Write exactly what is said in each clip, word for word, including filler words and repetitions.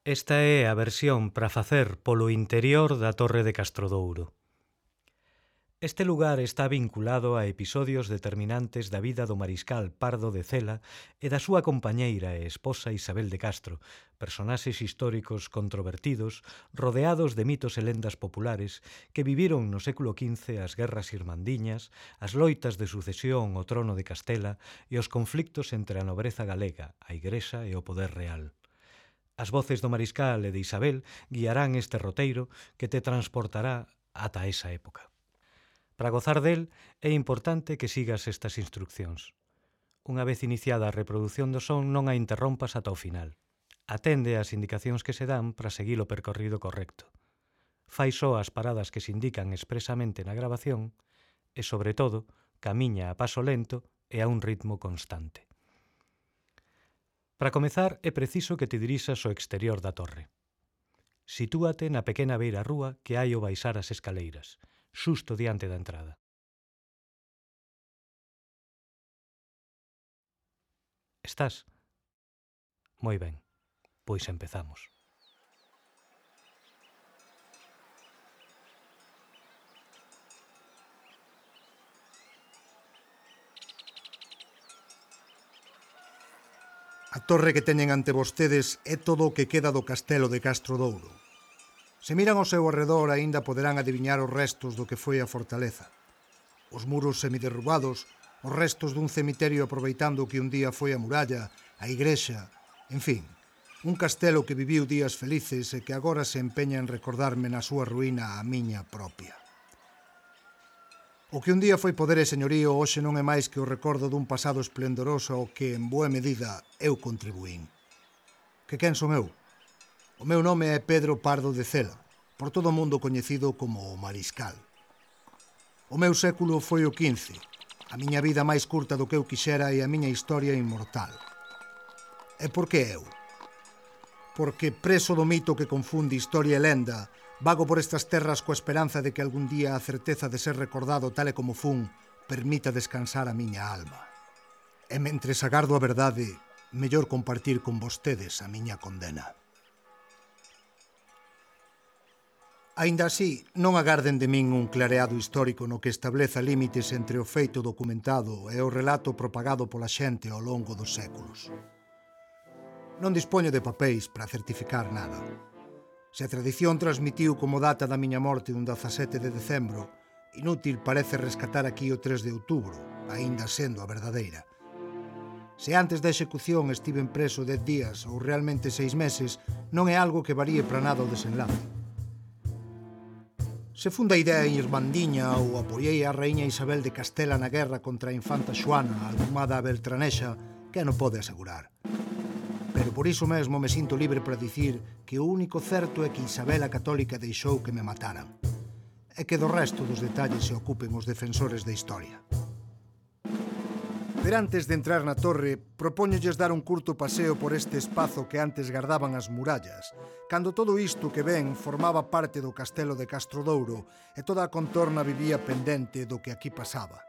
Esta é a versión para facer polo interior da Torre de Castrodouro. Este lugar está vinculado a episodios determinantes da vida do mariscal Pardo de Cela e da súa compañeira e esposa Isabel de Castro, personaxes históricos controvertidos rodeados de mitos e lendas populares que viviron no século quince as guerras irmandiñas, as loitas de sucesión ao trono de Castela e os conflictos entre a nobreza galega, a Igrexa e o poder real. As voces do mariscal e de Isabel guiarán este roteiro que te transportará ata esa época. Para gozar del, é importante que sigas estas instruccións. Unha vez iniciada a reproducción do son, non a interrompas ata o final. Atende ás indicacións que se dan para seguir o percorrido correcto. Fai só as paradas que se indican expresamente na grabación e, sobre todo, camiña a paso lento e a un ritmo constante. Para comezar, é preciso que te dirixas ao exterior da torre. Sitúate na pequena beira rúa que hai ao baixar as escaleiras, xusto diante da entrada. Estás? Moi ben, pois empezamos. A torre que teñen ante vostedes é todo o que queda do castelo de Castrodouro. Se miran ao seu arredor, aínda poderán adiviñar os restos do que foi a fortaleza. Os muros semiderrubados, os restos dun cemiterio aproveitando que un día foi a muralla, a igrexa, en fin, un castelo que viviu días felices e que agora se empeña en recordarme na súa ruína a miña propia. O que un día foi poder e señorío hoxe non é máis que o recordo dun pasado esplendoroso ao que, en boa medida, eu contribuín. Que quen son eu? O meu nome é Pedro Pardo de Cela, por todo o mundo coñecido como o Mariscal. O meu século foi o quince, a miña vida máis curta do que eu quixera e a miña historia inmortal. E por que eu? Porque, preso do mito que confunde historia e lenda, vago por estas terras coa esperanza de que algún día a certeza de ser recordado tal e como fun permita descansar a miña alma. E mentres agardo a verdade, mellor compartir con vostedes a miña condena. Aínda así, non agarden de min un clareado histórico no que estableza límites entre o feito documentado e o relato propagado pola xente ao longo dos séculos. Non dispoño de papéis para certificar nada. Se a tradición transmitiu como data da miña morte un dezasete de decembro, inútil parece rescatar aquí o tres de outubro, aínda sendo a verdadeira. Se antes da execución estiven preso dez días ou realmente seis meses, non é algo que varíe para nada o desenlace. Se funda a idea irmandiña ou apoiei a raíña Isabel de Castela na guerra contra a infanta Xoana, algumada a Beltranexa, que non pode asegurar. Pero por iso mesmo me sinto libre para dicir que o único certo é que Isabel a Católica deixou que me mataran, e que do resto dos detalles se ocupen os defensores da historia. Pero antes de entrar na torre, propóñolles dar un curto paseo por este espazo que antes gardaban as murallas, cando todo isto que ven formaba parte do castelo de Castrodouro e toda a contorna vivía pendente do que aquí pasaba.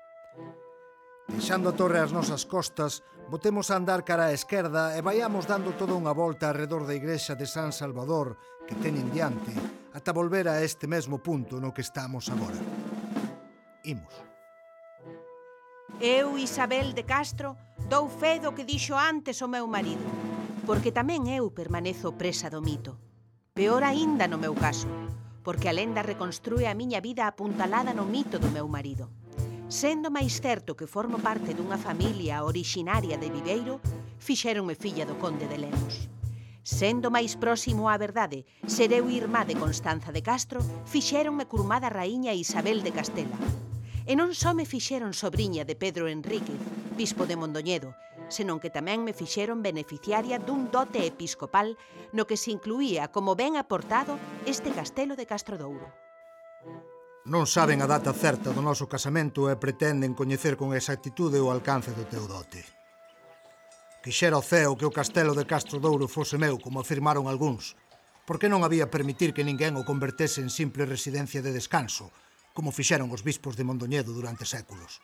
Deixando a torre ás nosas costas, botemos a andar cara á esquerda e vaiamos dando toda unha volta arredor da igrexa de San Salvador que teñen diante, ata volver a este mesmo punto no que estamos agora. Imos. Eu, Isabel de Castro, dou fe do que dixo antes o meu marido, porque tamén eu permanezo presa do mito. Peor aínda no meu caso, porque a lenda reconstrúe a miña vida apuntalada no mito do meu marido. Sendo máis certo que formo parte dunha familia orixinaria de Viveiro, fixéronme filla do conde de Lemos. Sendo máis próximo á verdade, ser eu irmá de Constanza de Castro, fixéronme curmada raíña Isabel de Castela. E non só me fixeron sobriña de Pedro Enríquez, bispo de Mondoñedo, senón que tamén me fixeron beneficiaria dun dote episcopal no que se incluía como ben aportado este castelo de Castrodouro. Non saben a data certa do noso casamento e pretenden coñecer con exactitude o alcance do teu dote. Quixera o ceo que o castelo de Castrodouro fose meu, como afirmaron algúns, porque non había permitir que ninguén o convertese en simple residencia de descanso, como fixeron os bispos de Mondoñedo durante séculos.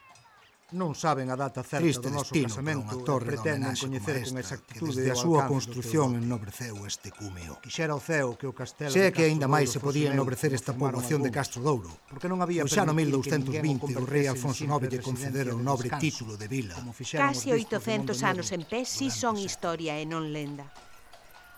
Non saben a data certa Triste do noso destino casamento para unha torre e pretenden de homenaxe coñecer como con esta, exactitude que desde a o súa alcance do construción teu dote. ennobreceu este cúmeo. Quixera o ceo que o castelo Sei de que aínda Castro máis Douro se fose podía meu, ennobrecer como esta afirmaron poboación de algúns. Castro Douro, Porque non había pois xa no permitir mil que douscentos ninguén vinte o o rei convertese en Alfonso simple nove lle concedera o residencia de nobre descanso, título de vila. como fixeron os Case bispos de oitocentos Mondoñedo anos en pé si durante son séculos. historia e non lenda.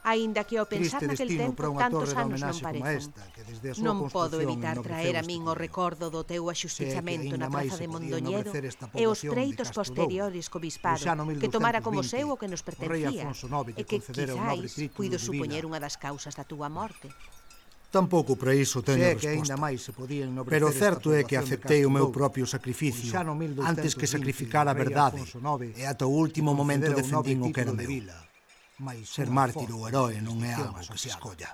Aínda que ao pensar Triste naquel destino tempo para unha tantos torre de anos non homenaxe como parecen. esta, que desde a súa Non podo construción evitar ennobreceu traer a este min o cúmeo. recordo do teu axustizamento aínda na máis praza se de podía Mondoñedo ennobrecer esta e os poboación de preitos Castro posteriores co Douro. bispado, Pois xa no que tomara como mil seu douscentos o que nos vinte, o rei pertencía, Alfonso nove e lle que concedera o nobre quizáis título puido de supoñer vila. unha das causas da túa morte. Tampouco para iso teño Sei que aínda resposta. máis se podía ennobrecer Pero esta certo é que poboación de aceptei o Castro meu Douro. propio Pois sacrificio xa no mil douscentos antes que vinte, sacrificar a o rei verdade, Alfonso nove e ata o último momento concedera o nobre defendín o que era título de meu. vila. Mais Ser unha mártir ou forte heroe non é jurisdicción algo que se asociada. escolla.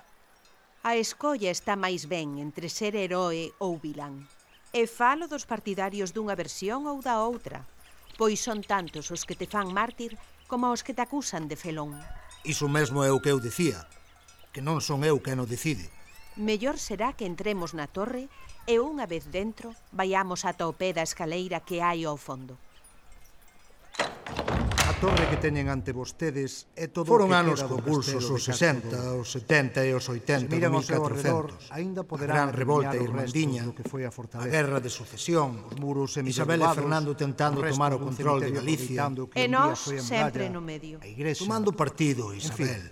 A escolla está máis ben entre ser heroe ou vilán. E falo dos partidarios dunha versión ou da outra, pois son tantos os que te fan mártir como os que te acusan de felón. Iso mesmo é o que eu dicía, que non son eu quen o decide. Mellor será que entremos na torre e unha vez dentro vaiamos ata o pé da escaleira que hai ao fondo. A torre que teñen ante vostedes é todo Foron o que anos queda do convulsos castelo os de Castro sesenta, Douro. os setenta e os Se oitenta do miran ao mil seu arredor, catrocentos. aínda A poderán gran revolta adiviñar os irmandiña, restos do que foi a a fortaleza. guerra de sucesión, Os muros Isabel e semiderrubados, Fernando tentando os restos tomar o dun control de cemiterio Galicia, aproveitando que E un día nós foi a sempre muralla, no medio. a igrexa, tomando partido, Isabel.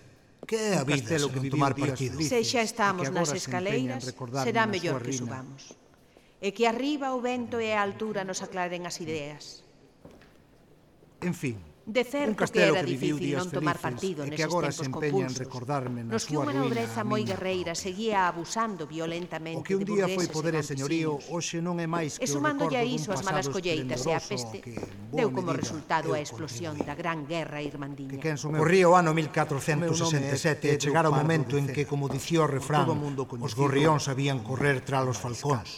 Que é a un vida castelo se que non viviu tomar días partido? felices. Se xa e estamos que nas agora se empeña en escaleiras, recordarme será na mellor súa que rina. subamos. E que arriba o vento e a altura nos aclaren as ideas. En fin, De un certo que castelo era que viviu difícil días non tomar felices partido e que neses agora tempos se empeña en convulsos, recordarme na nos que súa unha ruína nobreza a moi miña guerreira propia. seguía abusando violentamente O que un de día foi burgueses poder e e señorío, campesiños. hoxe non é máis que E o sumándolle recordo a dun iso as malas pasado colleitas e a esplendoroso peste, ao que, en boa deu como medida, resultado eu a explosión contribuí. da gran guerra Que irmandiña. quen son eu? Corría o ano mil catrocentos sesenta e sete e Pedro chegara o Pardo momento de en que, Cela. como dicía o refrán, todo o mundo os coñecido gorrións sabían como correr tras os Mariscal. falcóns.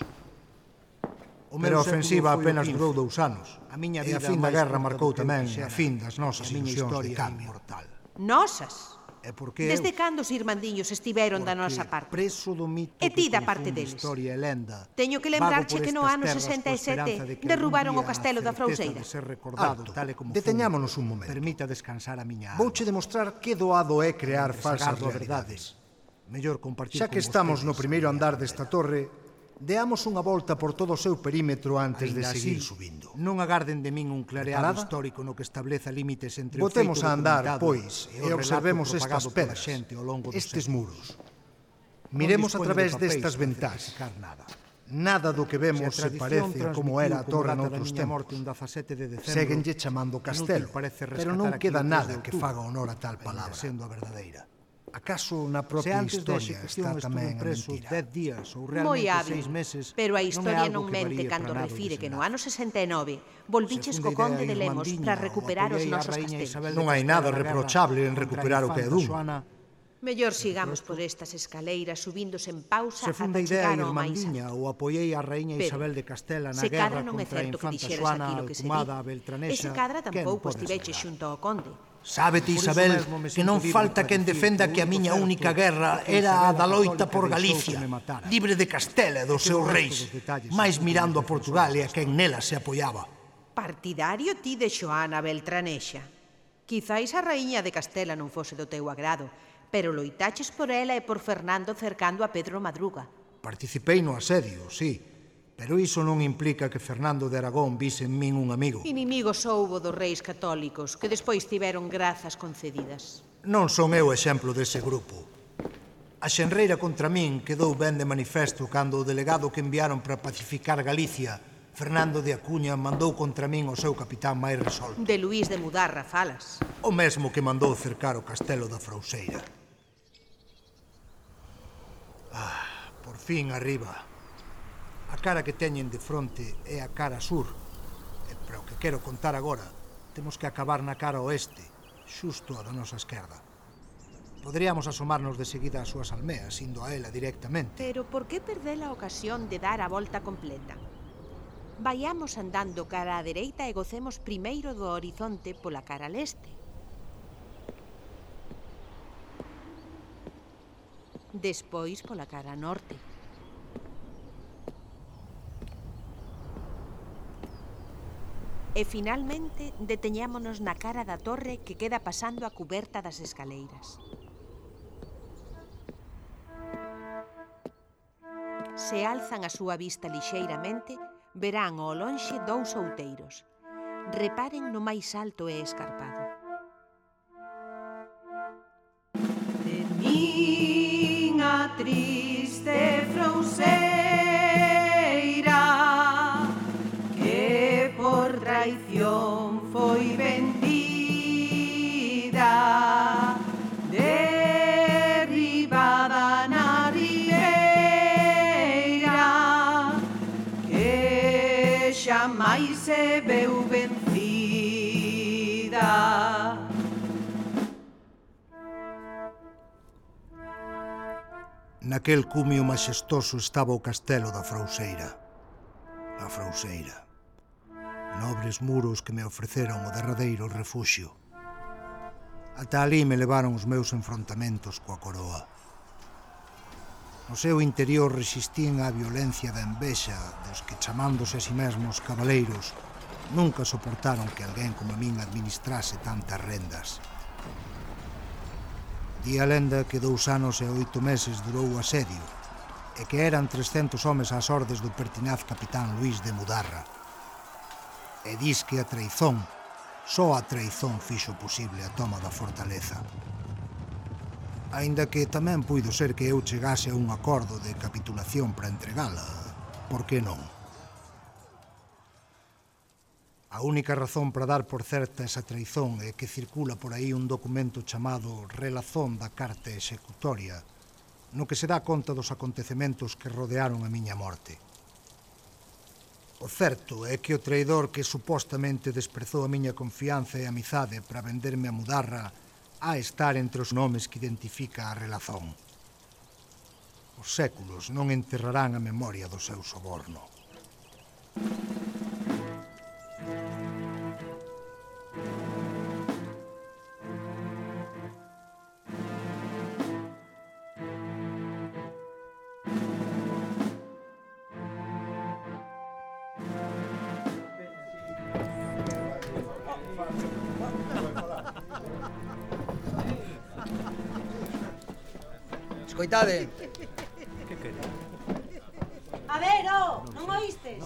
O Pero a meu século ofensiva foi o apenas quince. durou dous anos. A miña E a vida fin da máis guerra curta marcou do que eu tamén quixera. a fin das nosas E a miña ilusións de historia é cambio. inmortal. Nosas? É porque Desde eu, cando os irmandiños estiveron da porque nosa parte? preso do mito E ti que da parte confunde deles. historia e lenda, Teño que vago lembrarche por que no estas ano terras sesenta e coa sete esperanza de que derrubaron algún o día castelo a da certeza Frouseira. de ser recordado Alto, tal e como deteñámonos foi, un momento. permita descansar a miña alma. Vouche demostrar que doado é crear falsas Sagardo a verdade. realidades. Mellor compartir Xa que con estamos no vostedes primeiro a miña andar condena. desta torre, deamos unha volta por todo o seu perímetro antes de Aínda seguir así, subindo. Non agarden de min un clareado Preparada? histórico no que estableza límites entre Botemos o feito a andar, documentado pois, e o e relato observemos propagado estas pola pedras, xente ao longo dos estes séculos. muros. Non Miremos a dispoño través de papéis destas para ventás. certificar nada. Nada do que Se a vemos se tradición parece a como era a transmitiu torre como data da noutros miña morte un tempos. dezasete de decembro, Séguenlle chamando castelo, inútil parece pero rescatar non aquí queda o tres de nada que outubro, faga honor a tal aínda palabra. sendo a verdadeira. Acaso na Se propia antes da historia execución está estuve tamén a preso mentira? dez días ou Moi realmente hábil, seis meses, pero a non é historia algo non que mente varíe cando para nada o refire que no desenlace. ano sesenta e nove volviches Segunda co conde idea de Lemos irmandiña, para o recuperar os apoiei a nosos raíña castelos. Isabel de Non hai Castela nada na guerra reprochable en contra a recuperar o que é infanta dun. Xoana. Mellor sigamos por estas escaleiras subíndose en pausa Segunda ata idea chegar ao máis irmandiña, alto. o apoiei a raíña Pero, Isabel de Castela na se guerra cadra non é contra a certo que infanta dixeras Xoana aquilo que se alcumada a di. Beltranexa. E se cadra quen tampouco pode estiveches asegurar? xunto ao conde. Sábete, Por iso Isabel, mesmo me que sinto non libre falta para quen dicir defenda que que a o miña único única certo guerra é que era a Isabel da a loita Católica por deixou Galicia, que me matara. libre de Castela e dos que seus o resto reis, dos detalles máis son mirando a como Portugal e a defensores. quen nela se apoiaba. Partidario ti de Xoana Beltranexa. Quizáis a raíña de Castela non fose do teu agrado, pero loitaches por ela e por Fernando cercando a Pedro Madruga. Participei no asedio, sí, pero iso non implica que Fernando de Aragón vise en min un amigo. Inimigos houbo dos reis católicos, que despois tiveron grazas concedidas. Non son eu exemplo dese grupo. A xenreira contra min quedou ben de manifesto cando o delegado que enviaron para pacificar Galicia, Fernando de Acuña, mandou contra min o seu capitán máis resolto. De Luís de Mudarra falas. O mesmo que mandou cercar o castelo da Frouseira. Ah, por fin arriba. A cara que teñen de fronte é a cara sur. E para o que quero contar agora, temos que acabar na cara oeste, xusto a da nosa esquerda. Poderíamos asomarnos de seguida ás súas almeas, indo a ela directamente. Pero por que perder a ocasión de dar a volta completa? Vaiamos andando cara á dereita e gocemos primeiro do horizonte pola cara leste. Despois pola cara norte. E finalmente deteñámonos na cara da torre que queda pasando a cuberta das escaleiras. Se alzan a súa vista lixeiramente, verán ao lonxe dous outeiros. Reparen no máis alto e escarpado. De miña triste frouseira, que por traición foi vendida, derribada na rieira, que xamais se veu vencida. Naquel cumio maxestoso estaba o castelo da Frouseira. A Frouseira. Nobres muros que me ofreceron o derradeiro refuxio. Ata ali me levaron os meus enfrontamentos coa coroa. No seu interior resistían á violencia da envexa dos que, chamándose a si mesmos cabaleiros, nunca soportaron que alguén como a min administrase tantas rendas. Di a lenda que dous anos e oito meses durou o asedio e que eran trescentos homes ás ordes do pertinaz capitán Luís de Mudarra. E dis que a traizón, só a traizón fixo posible a toma da fortaleza. Aínda que tamén puido ser que eu chegase a un acordo de capitulación para entregala, por que non? A única razón para dar por certa esa traizón é que circula por aí un documento chamado Relazón da Carta Executoria, no que se dá conta dos acontecementos que rodearon a miña morte. O certo é que o traidor que supostamente desprezou a miña confianza e amizade para venderme a Mudarra a estar entre os nomes que identifica a Relazón. Os séculos non enterrarán a memoria do seu soborno. Escoitade. A ver, oh, non oístes?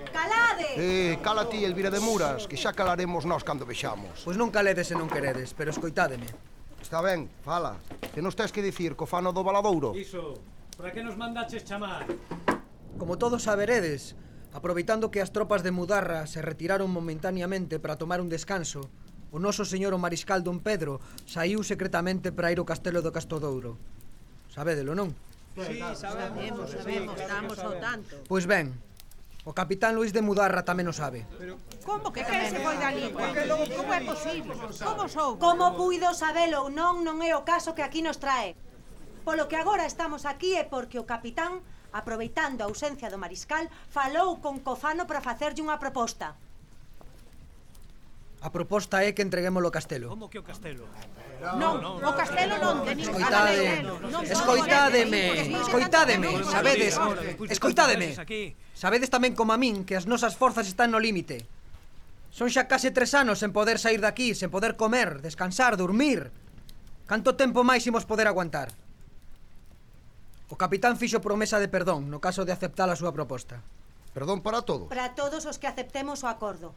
Calade! Eh, cala ti, Elvira de Muras, que xa calaremos nós cando vexamos. Pois non caledes se non queredes, pero escoitádeme. Está ben, fala. Que nos tes que dicir co fano do Valadouro? Iso, para que nos mandaches chamar? Como todos saberedes, aproveitando que as tropas de Mudarra se retiraron momentáneamente para tomar un descanso, o noso señor o mariscal Don Pedro saiu secretamente para ir ao castelo do Castrodouro. Sabédelo, non? Sí, sabemos, sabemos, estamos ao tanto. Pois ben, o capitán Luís de Mudarra tamén o sabe. Como que quen se foi da lingua? Como é posible? Como sou? Como puido sabelo ou non, non é o caso que aquí nos trae. Polo que agora estamos aquí é porque o capitán, aproveitando a ausencia do mariscal, falou con Cofano para facerlle unha proposta. A proposta é que entreguemos o castelo. Como que o castelo? Non, o castelo non teñen. Escoitade, escoitádeme, escoitádeme, sabedes, escoitádeme. Sabedes tamén como a min que as nosas forzas están no límite. Son xa case tres anos sen poder sair daqui, sen poder comer, descansar, dormir. Canto tempo máis imos poder aguantar? O capitán fixo promesa de perdón no caso de aceptar a súa proposta. Perdón para todos. Para todos os que aceptemos o acordo.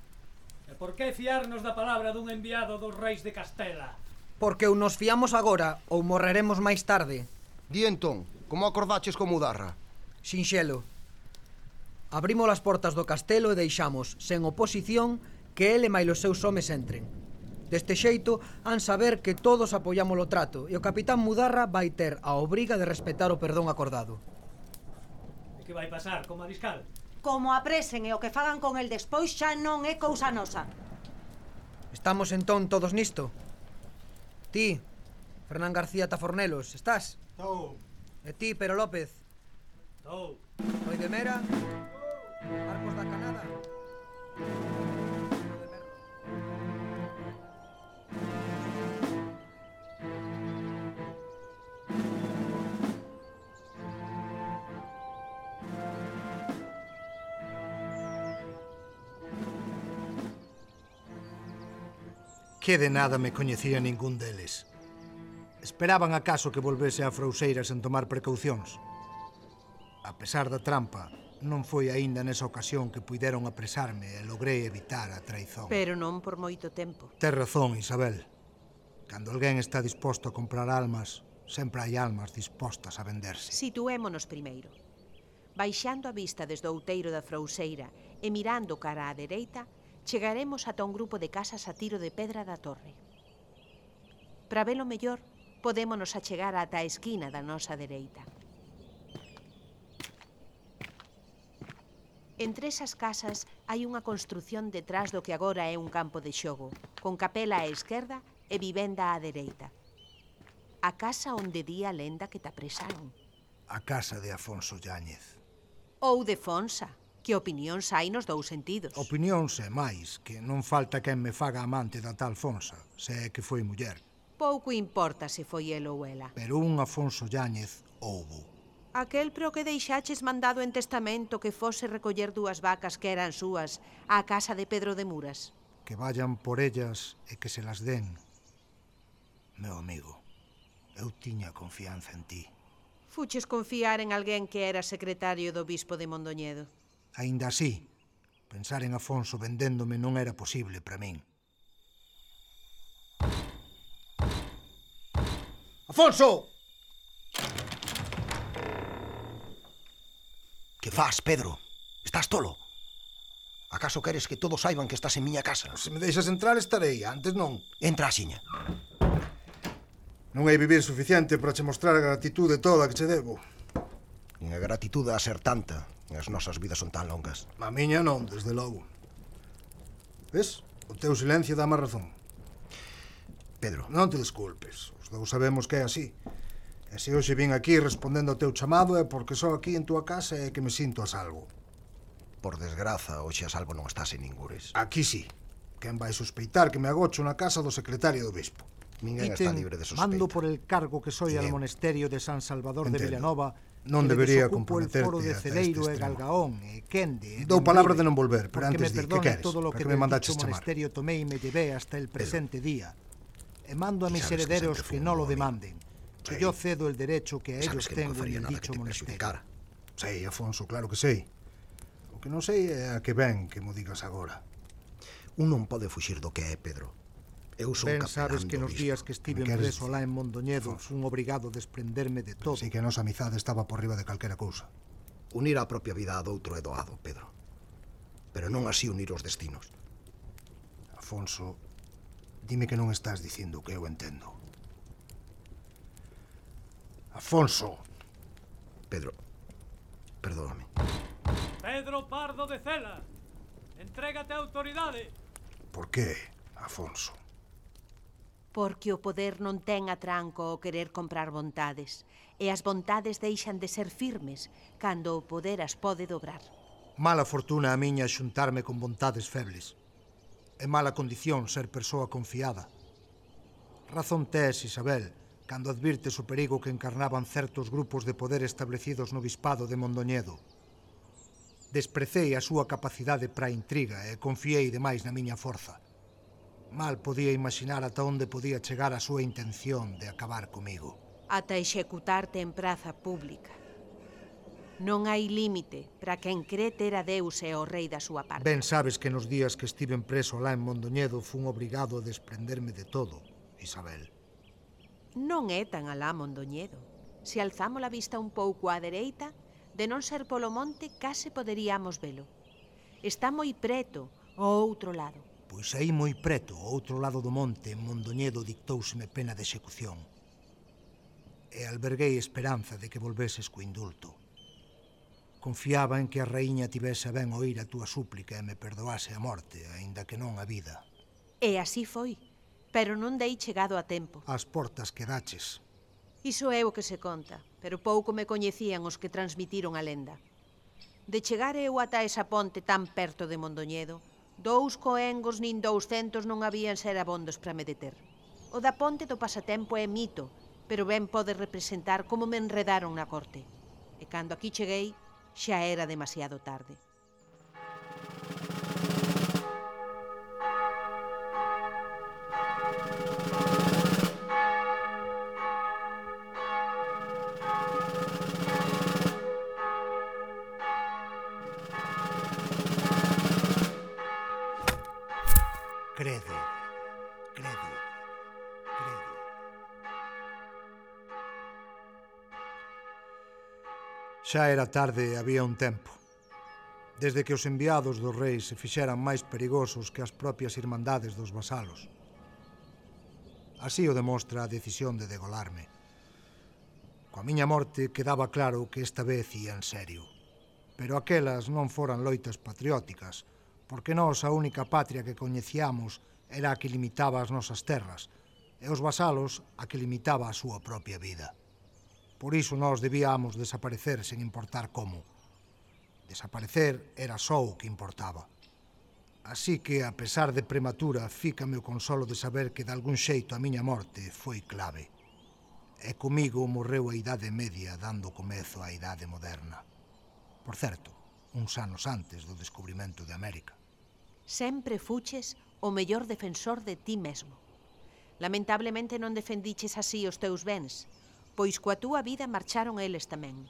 E por que fiarnos da palabra dun enviado dos reis de Castela? Porque ou nos fiamos agora ou morreremos máis tarde. Di entón, como acordaches con Mudarra? Sinxelo. Abrimos as portas do castelo e deixamos, sen oposición, que ele máis os seus homes entren. Deste xeito, han saber que todos apoiamos o trato e o capitán Mudarra vai ter a obriga de respetar o perdón acordado. E que vai pasar co mariscal? Como apresen e o que fagan con el despois xa non é cousa nosa. Estamos entón todos nisto? Ti, Fernán García Tafornelos, estás? Estou. E ti, Pero López? Estou. Roi de Mera? Marcos da Canada? Que de nada me coñecía ningún deles. Esperaban acaso que volvese a Frouxeira sen tomar precaucións. A pesar da trampa, non foi aínda nesa ocasión que puideron apresarme e logrei evitar a traizón. Pero non por moito tempo. Tes razón, Isabel. Cando alguén está disposto a comprar almas, sempre hai almas dispostas a venderse. Situémonos primeiro. Baixando a vista desde o outeiro da Frouxeira e mirando cara á dereita, chegaremos ata un grupo de casas a tiro de pedra da torre. Para velo mellor, podémonos achegar ata a esquina da nosa dereita. Entre esas casas hai unha construción detrás do que agora é un campo de xogo, con capela á esquerda e vivenda á dereita. A casa onde di a lenda que te apresaron. A casa de Afonso Yáñez. Ou de Fonsa, que opinións hai nos dous sentidos. Opinións e máis, que non falta quen me faga amante da tal Fonsa, se é que foi muller. Pouco importa se foi el ou ela. Pero un Afonso Yáñez houbo. Aquel pro que deixaches mandado en testamento que fose recoller dúas vacas que eran súas á casa de Pedro de Muras. Que vayan por ellas e que se las den. Meu amigo, eu tiña confianza en ti. Fuches confiar en alguén que era secretario do bispo de Mondoñedo. Aínda así, pensar en Afonso vendéndome non era posible para min. Afonso! Que faz, Pedro? Estás tolo? Acaso queres que todos saiban que estás en miña casa? Se me deixas entrar estarei, antes non. Entra axiña. Non hai vivir suficiente para che mostrar a gratitude toda que che debo. Nin a gratitude a ser tanta. As nosas vidas son tan longas. A miña non, desde logo. Ves? O teu silencio dá má razón. Pedro. Non te desculpes. Os dous sabemos que é así. E se hoxe vin aquí respondendo ao teu chamado é porque só aquí en túa casa é que me sinto a salvo. Por desgraza, hoxe a salvo non estás en ningures. Aquí sí. Quen vai sospeitar que me agocho na casa do secretario do bispo? Ninguén está libre de sospeita. Mando por el cargo que soy al monasterio de San Salvador de Vilanova. Non debería comprometerte el foro de hasta Celeiro este e Galgaón e Quende. Dou palabra de non volver, pero antes di, que queres? Todo lo que me mandaches dicho chamar? monasterio tomé y me llevé hasta el presente día. E mando a mis herederos que no lo demanden, que yo cedo el derecho que a ellos tengo en el dicho monasterio. Sei, Afonso, claro que sei. O que non sei é a que ben que mo digas agora. Un non pode fuxir do que é, Pedro. Eu son Ben capelán sabes que do nos bispo. días que estive preso alá en Mondoñedo fun obrigado a desprenderme de todo. Sei que a nosa amizade estaba por riba de calquera cousa. Unir a propia vida a doutro é doado, Pedro. Pero non así unir os destinos. Afonso, dime que non estás dicindo o que eu entendo. Afonso! Pedro, perdóname. Pedro Pardo de Cela, entrégate a autoridade. Por que, Afonso? Porque o poder non ten atranco o querer comprar vontades, e as vontades deixan de ser firmes cando o poder as pode dobrar. Mala fortuna a miña xuntarme con vontades febles. É mala condición ser persoa confiada. Razón tes, Isabel, cando advirtes o perigo que encarnaban certos grupos de poder establecidos no bispado de Mondoñedo. Desprecei a súa capacidade para a intriga e confiei demais na miña forza. Mal podía imaginar ata onde podía chegar a súa intención de acabar comigo. Ata executarte en praza pública. Non hai límite para quen cree ter a Deus e o rei da súa parte. Ben sabes que nos días que estiven preso lá en Mondoñedo fun obrigado a desprenderme de todo, Isabel. Non é tan alá Mondoñedo. Se alzamos a vista un pouco á dereita, de non ser polo monte, case poderíamos velo. Está moi preto, ao outro lado. Pois aí moi preto, ao outro lado do monte, en Mondoñedo dictouseme pena de execución. E alberguei esperanza de que volveses co indulto. Confiaba en que a raíña tivese a ben oír a túa súplica e me perdoase a morte, aínda que non a vida. E así foi, pero non dei chegado a tempo. As portas quedaches. Iso é o que se conta, pero pouco me coñecían os que transmitiron a lenda. De chegar eu ata esa ponte tan perto de Mondoñedo, dous coengos nin douscentos non habían ser abondos para me deter. O da ponte do pasatempo é mito, pero ben pode representar como me enredaron na corte. E cando aquí cheguei, xa era demasiado tarde. Xa era tarde e había un tempo. Desde que os enviados dos reis se fixeran máis perigosos que as propias irmandades dos vasalos. Así o demostra a decisión de degolarme. Coa miña morte quedaba claro que esta vez ia en serio. Pero aquelas non foran loitas patrióticas, porque nós a única patria que coñecíamos era a que limitaba as nosas terras, e os vasalos a que limitaba a súa propia vida. Por iso nós debíamos desaparecer sen importar como. Desaparecer era só o que importaba. Así que, a pesar de prematura, fícame o consolo de saber que de algún xeito a miña morte foi clave. E comigo morreu a Idade Media dando comezo á Idade Moderna. Por certo, uns anos antes do descubrimento de América. Sempre fuches o mellor defensor de ti mesmo. Lamentablemente non defendiches así os teus bens, pois coa túa vida marcharon eles tamén.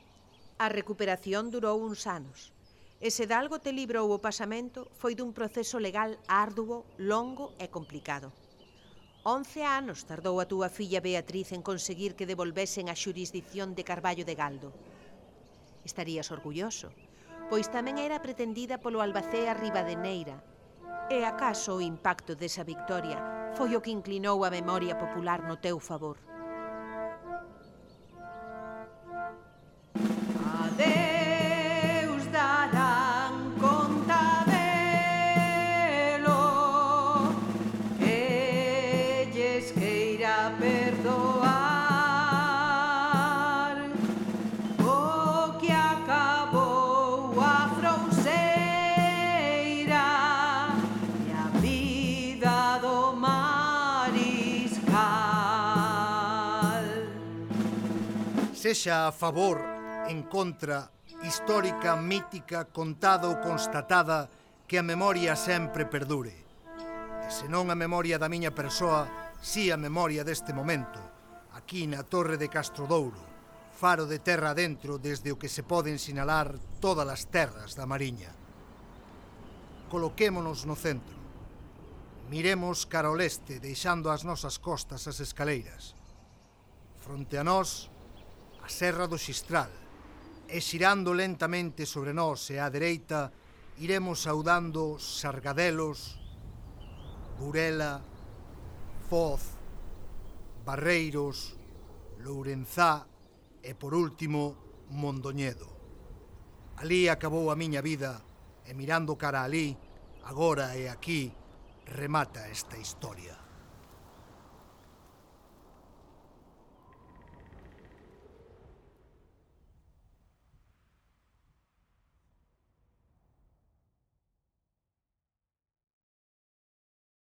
A recuperación durou uns anos, e se de algo te librou o pasamento foi dun proceso legal arduo, longo e complicado. Once anos tardou a túa filla Beatriz en conseguir que devolvesen a xurisdicción de Carballo de Galdo. Estarías orgulloso, pois tamén era pretendida polo Albacea Ribadeneira, e acaso o impacto desa victoria foi o que inclinou a memoria popular no teu favor. Adeus darán conta delo, elles queira perdoar o que acabou a frouxeira e a vida do mariscal. Sexa a favor, en contra, histórica, mítica, contada ou constatada, que a memoria sempre perdure. E se non a memoria da miña persoa, si a memoria deste momento, aquí na Torre de Castrodouro, faro de terra adentro desde o que se poden sinalar todas as terras da Mariña. Coloquémonos no centro. Miremos cara ao leste, deixando as nosas costas as escaleiras. Fronte a nós, a Serra do Xistral, e xirando lentamente sobre nós e á dereita, iremos saudando Sargadelos, Burela, Foz, Barreiros, Lourenzá e, por último, Mondoñedo. Alí acabou a miña vida e mirando cara alí, agora e aquí, remata esta historia.